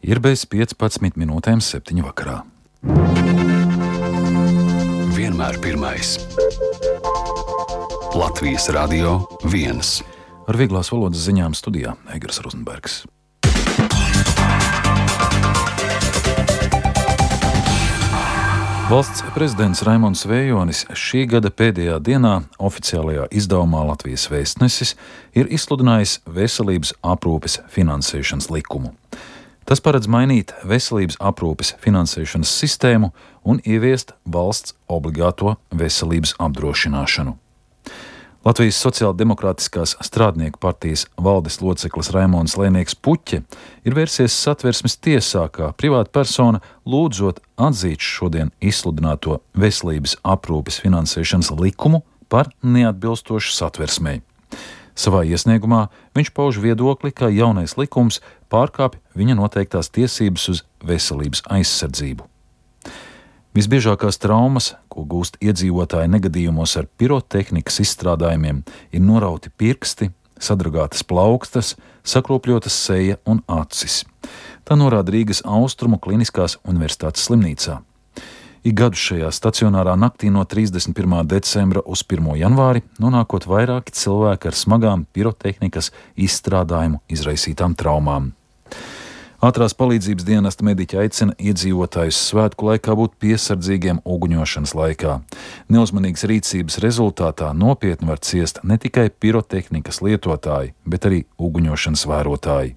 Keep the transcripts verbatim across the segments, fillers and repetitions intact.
Ir bez piecpadsmit minūtēm septiņu vakarā. Vienmēr pirmais. Latvijas Radio viens. Ar vieglās valodas ziņām studijā Egars Rozenbergs. Valsts prezidents Raimonds Vējonis šī gada pēdējā dienā oficiālajā izdevumā Latvijas Vēstnesis ir izsludinājis veselības aprūpes finansēšanas likumu. Tas paredz mainīt veselības aprūpes finansēšanas sistēmu un ieviest valsts obligāto veselības apdrošināšanu. Latvijas Sociāldemokrātiskās strādnieku partijas valdes loceklis Raimonds Lēnieks Puķe ir vērsies Satversmes tiesā kā privāta persona, lūdzot atzīt šodien izsludināto veselības aprūpes finansēšanas likumu par neatbilstošu Satversmei. Savā iesniegumā viņš pauž viedokli, ka jaunais likums pārkāpj viņa noteiktās tiesības uz veselības aizsardzību. Visbiežākās traumas, ko gūst iedzīvotāji negadījumos ar pirotehnikas izstrādājumiem, ir norauti pirksti, sadragātas plaukstas, sakropļotas seja un acis. Tā norāda Rīgas Austrumu Kliniskās universitātes slimnīcā. Ik gadu šajā stacionārā naktī no trīsdesmit pirmā decembra uz pirmo janvāri nonākot vairāki cilvēki ar smagām pirotehnikas izstrādājumu izraisītām traumām. Ātrās palīdzības dienesta mediķi aicina iedzīvotājus svētku laikā būt piesardzīgiem uguņošanas laikā. Neuzmanīgas rīcības rezultātā nopietni var ciest ne tikai pirotehnikas lietotāji, bet arī uguņošanas vērotāji.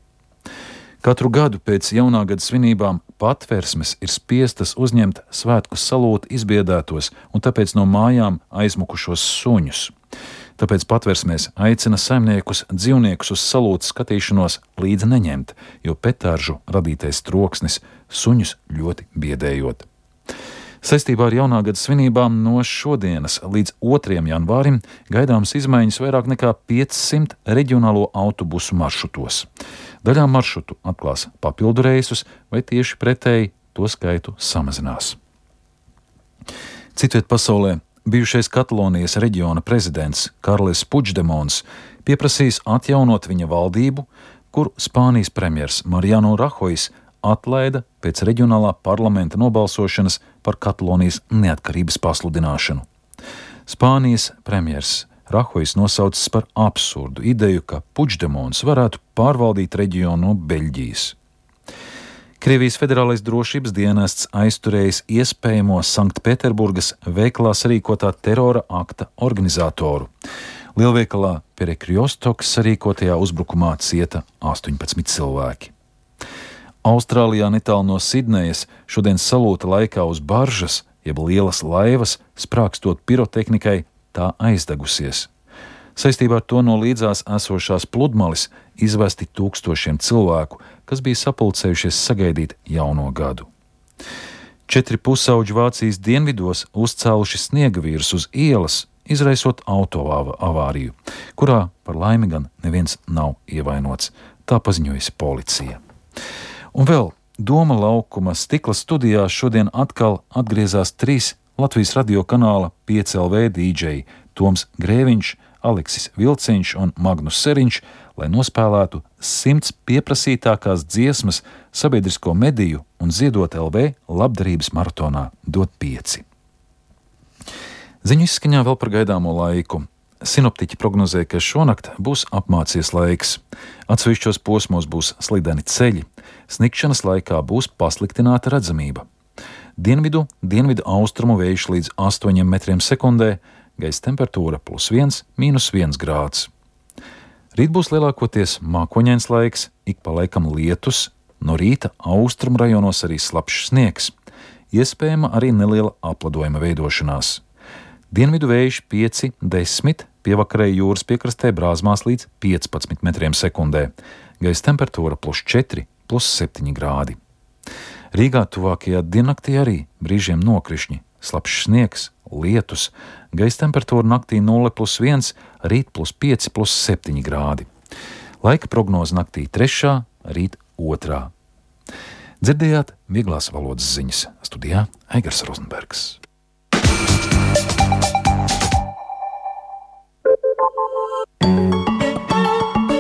Katru gadu pēc jaunā gada svinībām Patversmes ir spiestas uzņemt svētku salūti izbiedētos un tāpēc no mājām aizmukušos suņus. Tāpēc Patversmēs aicina saimniekus dzīvniekus uz salūtes skatīšanos līdzi neņemt, jo petāržu radītais troksnis suņus ļoti biedējot. Saistībā ar jaunā gada svinībām no šodienas līdz otrajam janvārim gaidāmas izmaiņas vairāk nekā piecsimt reģionālo autobusu maršrutos. Daļā maršrutu atklās papildu reisus vai tieši pretēji to skaitu samazinās. Citviet pasaulē bijušais Katalonijas reģiona prezidents Karles Puigdemons pieprasījis atjaunot viņa valdību, kur Spānijas premjers Mariano Rahojs atlaida pēc reģionālā parlamenta nobalsošanas par Katalonijas neatkarības pasludināšanu. Spānijas premjers Rahojs nosaucis par absurdu ideju, ka Puigdemons varētu pārvaldīt reģionu no Beļģijas. Krievijas federālais drošības dienests aizturējis iespējamo Sanktpēterburgas veikalā sarīkotā terora akta organizatoru. Lielveikalā Perekļostoks sarīkotajā uzbrukumā cieta astoņpadsmit cilvēki. Austrālijā netālu no Sidnejas šodien salūta laikā uz baržas, jeb lielas laivas, sprākstot pirotehnikai, tā aizdegusies. Saistībā ar to no līdzās esošās pludmalis izvesti tūkstošiem cilvēku, kas bija sapulcējušies sagaidīt jauno gadu. Četri pusauģi Vācijas dienvidos uzcēluši sniegavīrus uz ielas, izraisot autoavāriju, kurā par laimi gan neviens nav ievainots, tā paziņojusi policija. Un vēl Doma laukuma stikla studijā šodien atkal atgriezās trīs Latvijas radio kanāla pieci L V dīdžeji Toms Grēviņš, Aleksis Vilciņš un Magnus Seriņš, lai nospēlētu simts pieprasītākās dziesmas sabiedrisko mediju un ziedot L V labdarības maratonā Dot pieci. Ziņu izskaņā vēl par gaidāmo laiku. Sinoptiķi prognozē, ka šonakt būs apmācies laiks. Atsevišķos posmos būs slideni ceļi. Snikšanas laikā būs pasliktināta redzamība. Dienvidu, dienvidu austrumu vējš līdz astoņiem metriem sekundē, gaisa temperatūra plus viens, mīnus viens grāds. Rīt būs lielākoties mākoņains laiks, ik pa laikam lietus, no rīta austrumu rajonos arī slapjš sniegs. Iespējama arī neliela apladojuma veidošanās. Dienvidu vējš pieci, desmit, pievakarē jūras piekrastē brāzmās līdz piecpadsmit metriem sekundē. Gaisa temperatūra plus četri, plus septiņi grādi. Rīgā tuvākajā diennaktī arī brīžiem nokrišņi, slapjš sniegs, lietus, gaisa temperatūra naktī nulle plus viens, rīt plus pieci, plus septiņi grādi. Laika prognoze naktī trešā, rīt otrā. Dzirdējāt vieglās valodas ziņas. Studijā Egars Rozenbergs.